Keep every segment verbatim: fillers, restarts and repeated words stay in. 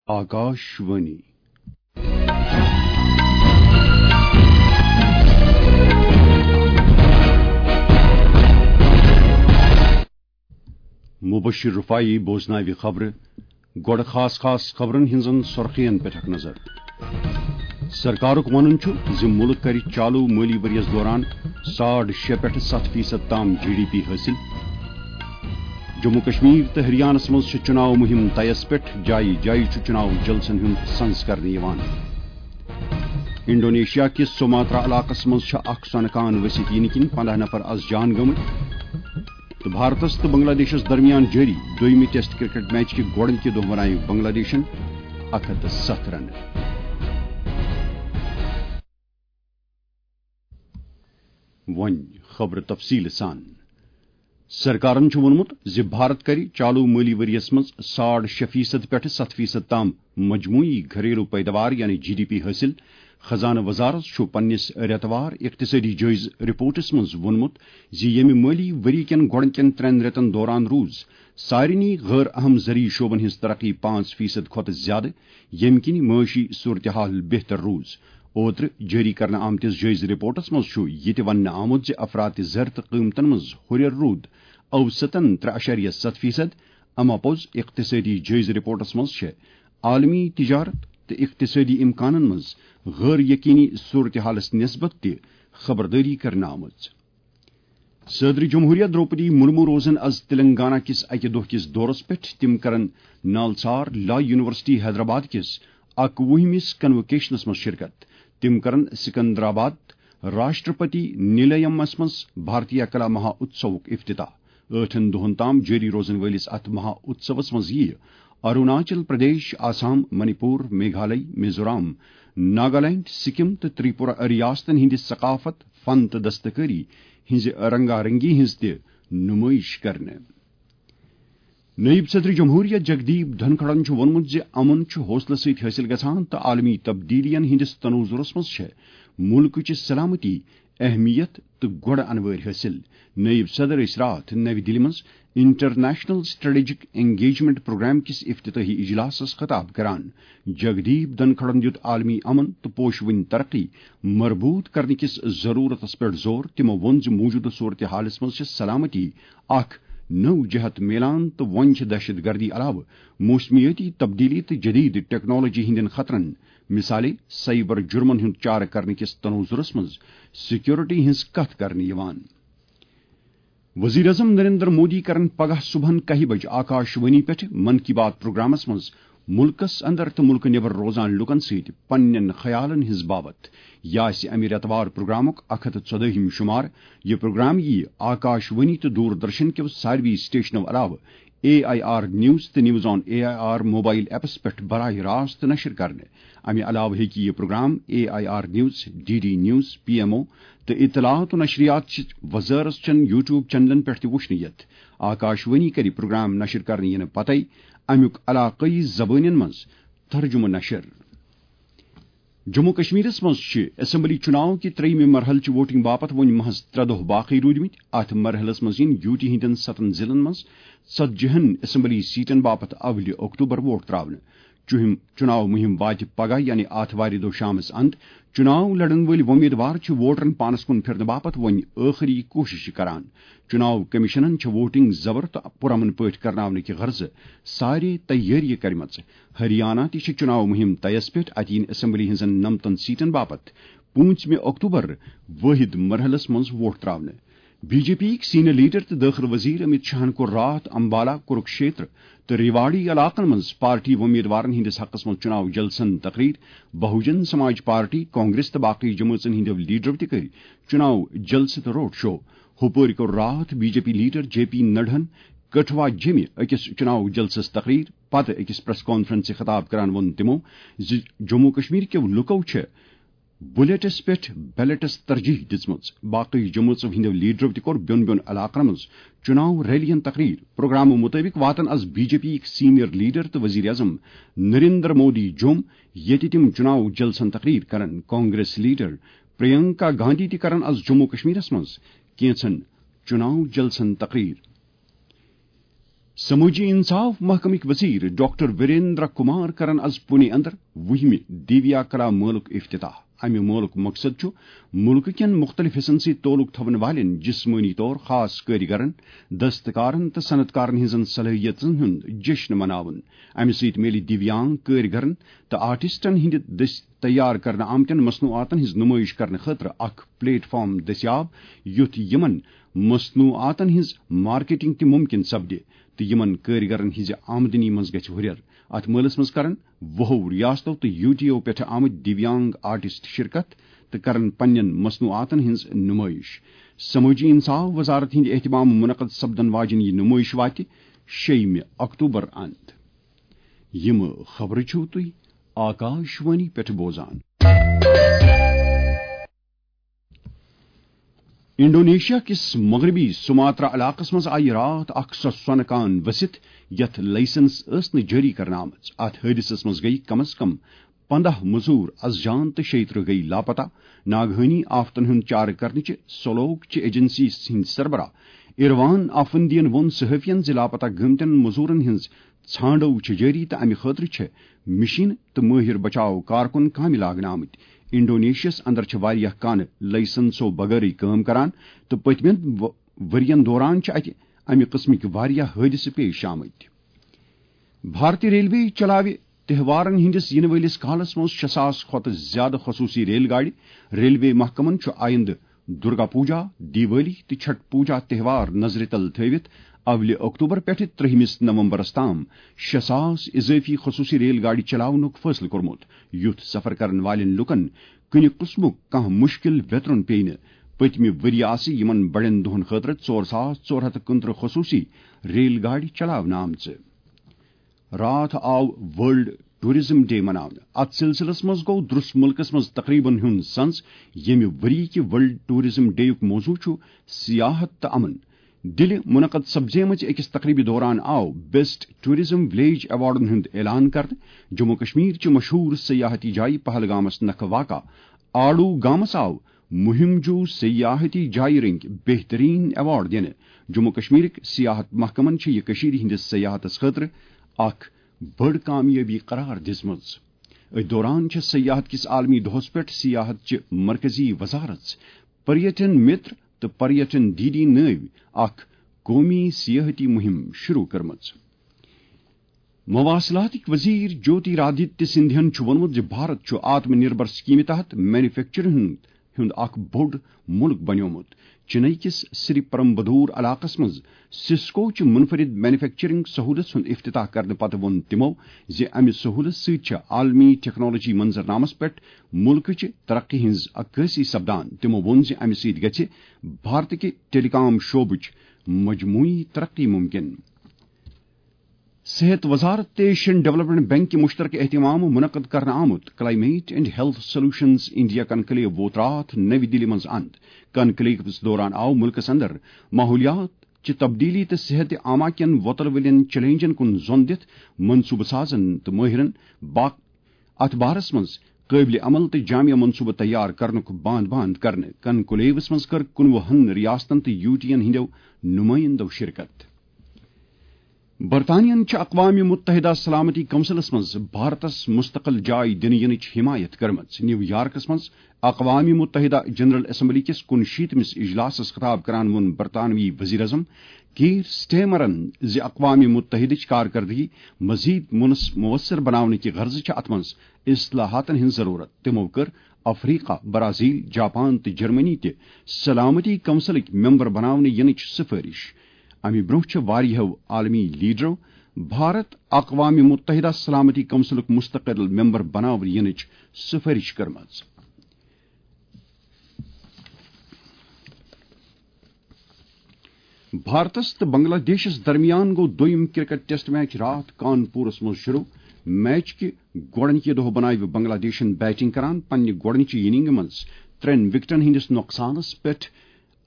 آکاش وانی۔ مبشر رفاعی بوزناوِ خبرٕ۔ گۄڈٕ خاص خاص خبرن ہٕنٛزن سرخین پٮ۪ٹھ اکھ نظر۔ سرکارُک ونُن چھُ زِ مُلک کرِ چالو مٲلی ؤریَس دوران ساڑ شےٚ پٮ۪ٹھ ستھ فیصد تام جی ڈی پی حٲصِل۔ جموں کشمیر تہٕ ہریانس منٛز چھِ چُناو مُہِم تیز پٮ۪ٹھ، جایہِ جایہِ چھُ چُناو جلسن ہُنٛد سنز کرنہٕ یِوان۔ انڈونیشیا کِس سوماترا علاقس منٛز چھِ اکھ سۄنہٕ کان ؤسِتھ یِنہٕ کِنۍ پنٛداہ نفر از جان گٔمٕتۍ۔ تہٕ بھارتس تہٕ بنگلہ دیشس درمیان جٲری دوٚیمہِ ٹیسٹ کرکٹ میچ کہِ گۄڈٕنکہِ دۄہ بنایہِ بنگلہ دیشن اکھ ہتھ تہٕ ستھ رنہٕ۔ وۄنۍ خبرٕ تفصیٖل سان۔ سرکارن چھُ ووٚنمُت زِ بھارت کرِ چالو مٲلی ؤریَس منٛز ساڑ شےٚ فیصد پٮ۪ٹھٕ ستھ فیصد تام مجموعی گھریلو پیداوار یعنی جی ڈی پی حٲصِل۔ خزانہٕ وزارت چھُ پننِس رٮ۪توار اقتصٲدی جٲیزٕ رپورٹس منٛز ووٚنمُت زِ ییٚمہِ مٲلی ؤری کٮ۪ن گۄڈٕنکٮ۪ن ترٛٮ۪ن رٮ۪تن دوران روٗز سارنٕے غٲر اہم زرعی شعبن ہٕنٛز ترقی پانٛژھ فیصد کھۄتہٕ زیادٕ، ییٚمہِ کِنۍ معٲشی صورتحال بہتر روٗز۔ اوترٕ جٲری کرنہٕ آمتِس جٲیزٕ رپورٹس منٛز چھُ یہِ تہِ وننہٕ آمُت زِ افراط زر تہٕ قۭمتن منٛز ہُرٮ۪ر روٗد اوسطن ترٛےٚ اعشاریہ ستھ فیصد۔ اما پوٚز اقتصٲدی جٲیزٕ رپورٹس منٛز چھِ عالمی تجارت تہٕ اقتصٲدی امکانن منٛز غٲر یقینی صورتحالس نسبت تہِ خبردٲری کرنہٕ آمٕژ۔ صدر جمہوریہ دروپدی مرمو روزن از تلنگانہ کِس اکہِ دۄہ کِس دورس پٮ۪ٹھ۔ تِم کرن نالسار لا یونیورسٹی حیدرآباد کِس اکوُہمِس کنووکیشنس منٛز شرکت۔ تِم کرن سکندرآباد راشٹرپتی نیلیمس منٛز بھارتیہ کلا مہا اتسوُک افتتاح۔ ٲٹھن دۄہن تام جٲری روزن وٲلِس اتھ مہا اتسوس منٛز یِیہِ اروناچل پردیش، آسام، منی پور، میگھالے، میزورام، ناگالینڈ، سکم تہٕ تریپورہ ریاستن ہٕنٛدِ ثقافت، فن تہٕ دستکٲری ہٕنٛزِ رنگا رنگی ہٕنٛز تہِ نمٲیش کرنہٕ۔ نٲیِب صدر جمہوریہ جگدیپ دھنکھڑن چھُ ووٚنمُت زِ امن چھُ حوصلہٕ سۭتۍ حٲصِل گژھان تہٕ عالمی تبدیلیَن ہٕنٛدِس تناظرس منٛز چھےٚ مُلکٕچ سلامتی، اہمیت تہٕ گۄڈٕ انوٲرۍ حٲصِل۔ نٲیِب صدر ٲسۍ راتھ نَوِ دِلہِ منٛز انٹرنیشنل اسٹریٹجک انگیجمنٹ پروگرام کِس افتتاحی اجلاسَس خطاب کران۔ جگدیپ دھنکھڑن دیُت عالمی امن تہٕ پوشوٕنۍ ترقی مربوط کرنہٕ کِس ضرورتس پٮ۪ٹھ زور۔ تِمو ووٚن زِ موجودٕ صورتحالَس منٛز چھِ سلامتی اکھ نٔو جہت میلان تہٕ وۄنۍ چھِ دہشت گردی علاوٕ موسمیٲتی تبدیلی تہٕ جدید ٹیکنالوجی ہٕنٛدٮ۪ن خطرن، مثالے سائبر جرمن ہُنٛد چارٕ کرنہٕ کِس تناظرس منٛز سیکورٹی ہٕنٛز کتھ کرنہٕ یِوان۔ وزیر اعظم نریندر مودی کرن پگاہ صبحن کاہہِ بجہِ آکاش وانی پٮ۪ٹھ من کی بات پروگرامس منٛز مُلکس اندر تہٕ مُلکہٕ نٮ۪بر روزان لوٗکن سۭتۍ پننٮ۪ن خیالن ہٕنٛز باوتھ۔ یہِ آسہِ امہِ رٮ۪تہٕ وار پروگرامُک اکھ ہتھ تہٕ ژۄدٲہِم شمار۔ یہِ پروگرام یِیہِ آکاش وانی تہٕ دوردرشن کیو ساروی سٹیشنو علاوٕ اے آئی آر نیوز تہٕ news on A I R mobile apps پٮ۪ٹھ براہ راست نشر کرنہٕ۔ امہِ علاوٕ ہیٚکہِ یہِ programme A I R news, D D news, P M O تہٕ اطلاعات و نشریات چہِ وزارت چٮ۪ن یوٹیوب چینلن پٮ۪ٹھ تہِ وُچھنہٕ یِتھ۔ آکاش وانی کرِ پروگرام نشر کرنہٕ یِنہٕ پتے امیُک علاقٲیی زبٲنٮ۪ن منٛز ترجمہٕ نشر۔ جموں کشمیرس منٛز چھِ اسمبلی چُناو کہِ ترٛیٚیِمہِ مرحلہٕ چہِ ووٹنگ باپتھ وۄنۍ محض ترٛےٚ دۄہ باقٕے روٗدمٕتۍ۔ اتھ مرحلس منٛز یِن یوٗ ٹی ہٕنٛدٮ۪ن ستن ضلعن منٛز ژتجی ہن اسمبلی سیٹن باپتھ اولہِ اکتوبر ووٹ تراونہٕ۔ چُہم-، چُناو مُہِم واتہِ پگاہ یعنی آتھوارِ دۄہ شامس اند۔ چُناو لڑن وٲلۍ وۄمیدوار چھِ ووٹرن پانس کُن پھِرنہٕ باپتھ وۄنۍ ٲخری کوٗشش کران۔ چُناو کمیشنن چھِ ووٹنگ زبر تہٕ پُرامن پٲٹھۍ کرناونہٕ کہِ غرضہٕ سارے تیٲریہِ کرِمژٕ۔ ہریانہ تہِ چھِ چُناو مُہِم تیز پٮ۪ٹھ۔ اتہِ یِن اسمبلی ہٕنٛزن نمتن سیٹن باپتھ پوٗنٛژمہِ اکتوبر وٲحد مرحلس منٛز ووٹ تراونہٕ۔ بی جے پی یِکۍ سینئر لیڈر تہٕ دٲخلہٕ وزیر امت شاہن کوٚر راتھ امبالہ، کُروکشیتر تہٕ ریواڑی علاقن منٛز پارٹی وۄمیدوارن ہٕنٛدِس حقس منٛز چُناو جلسن تقریر۔ بہوجن سماج پارٹی، کانگریس تہٕ باقٕے جمٲژن ہٕنٛدیو لیڈرو تہِ کٔرۍ چُناو جلسہٕ تہٕ روڈ شو۔ ہُپٲرۍ کوٚر راتھ B J P leader J P نڈہن کٹھوا جیمہِ أکِس چُناو جلسس تقریر۔ پتہٕ أکِس پریس کانفرنسہِ خطاب کران ووٚن تِمو زِ جموں کشمیر کیو لُکو چھِ بُلیٹس پٮ۪ٹھ بیلٹس ترجیح دِژمٕژ۔ باقٕے جمٲژو ہٕنٛدیو لیڈرو تہِ کوٚر بیوٚن بیوٚن علاقن منٛز چُناو ریلین تقریر۔ پروگرامہٕ مُطٲبِق واتن از بی جے پی یِکۍ سینئر لیڈر تہٕ وزیر اعظم نریندر مودی جوٚم، ییٚتہِ تِم چُناو جلسن تقریر کرن۔ کانگریس لیڈر پرینکا گاندھی تہِ کرن از جموں کشمیرس منٛز کینژن چُناو جلسن تقریر۔ سمٲجی انصاف محکمٕکۍ وزیر ڈاکٹر وریندر کمار کرن از پونے اندر وُہمہِ دیویا کلا مٲلُک افتتاح۔ امہِ مٲلُک مقصد چھُ مُلکہٕ کٮ۪ن مُختٔلِف حصن سۭتۍ تعلق تھاون والٮ۪ن جسمٲنی طور خاص کٲرۍگرن، دستکارن تہٕ صنعت کارن ہٕنٛزن صلٲحیژن ہُنٛد جشن مناوُن۔ امہِ سۭتۍ میلہِ دیویانگ کٲرۍگرن تہٕ آرٹسٹن ہٕنٛدِ دٔسۍ تیار کرنہٕ آمتٮ۪ن مصنوعاتن ہٕنٛز نمٲیش کرنہٕ خٲطرٕ اکھ پلیٹ فارم دٔستیاب، یُتھ یِمن مصنوعاتن ہٕنٛز مارکیٹنگ تہِ ممکن سپدِ تہٕ یِمن کٲرۍگرن ہٕنٛزِ آمدنی منٛز گژھِ ہُرٮ۪ر۔ اتھ مٲلس منٛز کرن وُہو ریاستو تہٕ یو ٹی او پٮ۪ٹھٕ آمٕتۍ دیویانگ آرٹسٹ شرکت تہٕ کرن پننٮ۪ن مصنوعاتن ہٕنٛز نمٲیش۔ سمٲجی انصاف وزارت ہٕنٛدِ اہتمام منعقد سپدن واجیٚنۍ یہِ نمٲیش واتہِ شیٚیِمہِ اکتوبر اند۔ یِم خبرٕ چھِو تُہۍ آکاش وانی پٮ۪ٹھ بوزان۔ انڈونیشیا کِس مغربی سماترا علاقس منٛز آیہِ راتھ اکھ سۄ سۄنہٕ کان ؤسِتھ، یتھ لائسنس ٲس نہٕ جٲری کرنہٕ آمٕژ۔ اتھ حٲدثس منٛز گٔیہِ کم از کم پنداہ مزور از جان تہٕ شیٚیہِ ترٕہ گٔیہِ لاپتہ۔ ناگہٲنی آفتن ہُنٛد چارٕ کرنٕچہِ سولوک چہِ ایجنسی ہٕنٛدۍ سربراہ ایروان آفندین ووٚن صحافین زِ لاپتہ گٔمتٮ۪ن مزورن ہٕنٛز ژھانڈو چھِ جٲری تہٕ امہِ خٲطرٕ چھِ مشین تہٕ مٲہِر بچاو کارکُن کامہِ لاگنہٕ آمٕتۍ۔ انڈونیشیاہس اندر چھِ واریاہ کانہٕ لائسنسو بغٲرٕے کٲم کران تہٕ پٔتمٮ۪ن و-، ؤرین دوران چھِ اتہِ امہِ قٕسمٕکۍ واریاہ حٲدثہٕ پیش آمٕتۍ۔ بھارتی ریلوے چلاوِ تہوارن ہٕنٛدِس یِنہٕ وٲلِس کالس منٛز شےٚ ساس کھۄتہٕ زیادٕ خصوٗصی ریل گاڑِ۔ ریلوے محکمن چھُ آیندٕ درگا پوجا، دیوالی تہٕ چھٹ پوجا تہوار نظرِ تل تھٲوِتھ اولہِ اکتوبر پٮ۪ٹھٕ ترٛہمِس نومبرس تام شےٚ ساس اضٲفی خصوٗصی ریل گاڑِ چلاونُک فٲصلہٕ کوٚرمُت، یُتھ سفر کرن والٮ۪ن لوٗکن کُنہِ قٕسمُک کانٛہہ مُشکِل ویترُن پیٚیہِ نہٕ۔ پٔتمہِ ؤرۍ یہِ آسہِ یِمن بڑٮ۪ن دۄہن خٲطرٕ ژور ساس ژور ہتھ تہٕ کُنترٕہ خصوٗصی ریل گاڑِ چلاونہٕ آمژٕ۔ راتھ آو ورلڈ ٹورازم ڈے مناونہٕ۔ اتھ سلسلس منٛز گوٚو درس ملکس منٛز تقریبن ہُنٛد سنز، ییٚمہِ ؤری کہِ ورلڈ ٹورازم ڈے یُک موضوع چھُ سیاحت تہٕ امن۔ دِلہِ منعقد سپزیمٕژ أکِس تقریبہِ دوران آو بیسٹ ٹورازم ولیج ایوارڈن ہُنٛد اعلان کرنہٕ۔ جموں کشمیر چہِ مشہوٗر سیاحتی جایہِ پہلگامس نکھٕ واقع آڑو گامس آو مہم جو سیاحتی جایہِ رٔنگۍ بہترین ایوارڈ دِنہٕ۔ جموں کشمیرٕکۍ سیاحت محکمن چھِ یہِ کٔشیٖرِ ہٕنٛدِس سیاحتس خٲطرٕ اکھ بٔڑ کامیٲبی قرار دِژمٕژ۔ أتھۍ دوران چھِ سیاحت کِس عالمی دۄہس پٮ۪ٹھ سیاحت چہِ مرکزی وزارت پریٹن متر تہٕ پریٹن ڈی ڈی نٲوۍ اکھ قومی سیاحتی مہم شروع کٔرمٕژ۔ مواصلاتٕکۍ وزیر جیوتی رادتیہ سندھین چھُ ووٚنمُت زِ بھارت چھُ آتم نربھر سکیمہِ تحت مینوفیکچرنگ ہُنٛد اکھ بوٚڑ مُلک بنیومُت۔ چنئی کِس سری پرمبدور علاقس منٛز سسکو چہِ منفرد مینوفیکچرنگ سہولت ہُنٛد افتتاح کرنہٕ پتہٕ ووٚن تِمو زِ امہِ سہولت سۭتۍ چھِ عالمی ٹیکنالوجی منظرنامس پٮ۪ٹھ مُلکٕچہِ ترقی ہٕنٛز عکٲسی سپدان۔ تِمو ووٚن زِ امہِ سۭتۍ گژھِ بھارتٕکہِ ٹیلی کام شعبٕچ مجموعی ترقی ممکن۔ صحت وزارت تہٕ ایشین ڈیولپمنٹ بینک کہِ مشترکہ اہتمام منعقد کرنہٕ آمُت climate and health solutions India conclave ووت راتھ نَوِ دِلہِ منٛز اند۔ کنکلیوس دوران آو مُلکس اندر ماحولیات چہِ تبدیلی تہٕ صحت عامہ کٮ۪ن وۄتلہٕ وٲلٮ۪ن چیلنجن کُن زۄن دِتھ منصوبہٕ سازن تہٕ مٲہرن با-، اتھ بارس منٛز قٲبلِ عمل تہٕ جامع منصوبہٕ تیار کرنُک باند باند کرنہٕ۔ کنکلیوس منٛز کٔر کُنوُہن ریاستن تہٕ یو ٹی ین ہٕنٛدٮ۪و نُمٲیندو شرکت۔ برطانیہن چھِ اقوام متحدہ سلامتی کونسلس منٛز بھارتس مستقل جاے دِنہٕ یِنٕچ حمایت کٔرمٕژ۔ نیو یارکس منٛز اقوام متحدہ جنرل اسمبلی کِس کُنشیٖتمِس اجلاسس خطاب کران ووٚن برطانوی وزیر اعظم کیئر سٹیمرن زِ اقوام متحدٕچ کارکردگی مزید مُنس-، مؤثر بناونہٕ کہِ غرضہٕ چھِ اتھ منٛز اصلاحاتن ہٕنٛز ضرورت۔ تِمو کٔر افریقہ، برازیل، جاپان تہٕ جرمنی تہِ سلامتی کونسلٕکۍ ممبر بناونہٕ یِنٕچ سفٲرش۔ امہِ برونٛہہ چھِ واریاہو عالمی لیڈرو بھارت اقوام متحدہ سلامتی کونسلُک مستقل ممبر بناونہٕ یِنٕچ سفٲرش کٔرمٕژ۔ بھارتس تہٕ بنگلہ دیشس درمیان گوٚو دوٚیِم کرکٹ ٹیسٹ میچ راتھ کانپورس منٛز شروع۔ میچ کہِ گۄڈٕنِکہِ دۄہ بناوِ بنگلہ دیشن بیٹنگ کران پننہِ گۄڈٕنِچہِ اننگ منٛز ترٛٮ۪ن وکٹن ہٕنٛدِس نۄقصانس پٮ۪ٹھ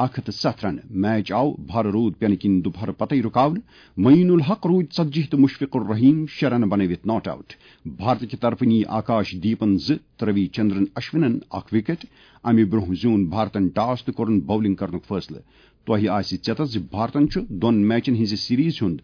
اکھ ہتھ تہٕ ستھ رنہٕ۔ میچ آو بھارٕ روٗد پینہٕ کِنۍ دُپہرٕ پتے رُکاونہٕ۔ معین الحق روٗدۍ ژتجی تہٕ مشفق الرحیم شےٚ رنہٕ بنٲوِتھ ناٹ آوٹ۔ بھارتہٕ کہِ طرفہٕ نی آکاش دیپن زٕ تہٕ روی چندرن اشونن اکھ وکٹ۔ امہِ برونٛہہ زیوٗن بھارتن ٹاس تہٕ کوٚرُن باولنگ کرنُک فٲصلہٕ۔ تۄہہِ آسہِ ژیتس زِ بھارتن چھُ دۄن میچن ہٕنٛزِ سیریز ہُنٛد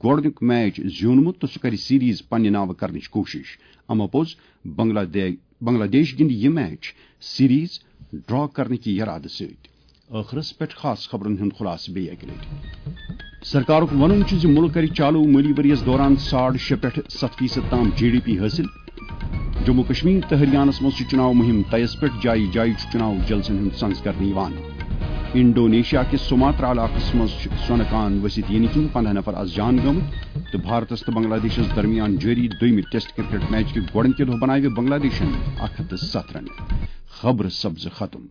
گۄڈٕنیُک میچ زیوٗنمُت تہٕ سُہ کرِ سیریز پننہِ ناوٕ کرنٕچ کوٗشش۔ اما پوٚز، بنگلہ دے-، بنگلہ دیش گِنٛدِ یہِ میچ سیریز ڈرا کرنہٕ کہِ یرادٕ سۭتۍ۔ ٲخرس پٮ۪ٹھ خاص خبرن ہُنٛد خلاصہٕ بیٚیہِ اکہِ لٹہِ۔ سرکارُک وَنُن چھُ زِ مُلک کرِ چالو مٲلی ؤریَس دوران ساڑ شےٚ پٮ۪ٹھ ستھ فیصد تام جی ڈی پی حٲصِل۔ جموں کشمیر تہٕ ہریانس منٛز چھِ چُناو مُہِم تیز پٮ۪ٹھ، جایہِ جایہِ چھُ چُناو جلسن ہُنٛد سنز کرنہٕ یِوان۔ انڈونیشیا کِس سُماترا علاقس منٛز چھِ سۄنہٕ کان ؤسِتھ یِنہٕ کِنۍ پنداہ نفر از جان گٲمٕتۍ تہٕ بھارتس تہٕ بنگلہ دیشس درمیان جٲری دوٚیمہِ ٹیسٹ کرکٹ میچ کہِ گۄڈٕنکہِ دۄہ بناوِ بنگلہ دیشن اکھ ہتھ تہٕ ستھ رنہٕ۔ خبرٕ سپزٕ ختم۔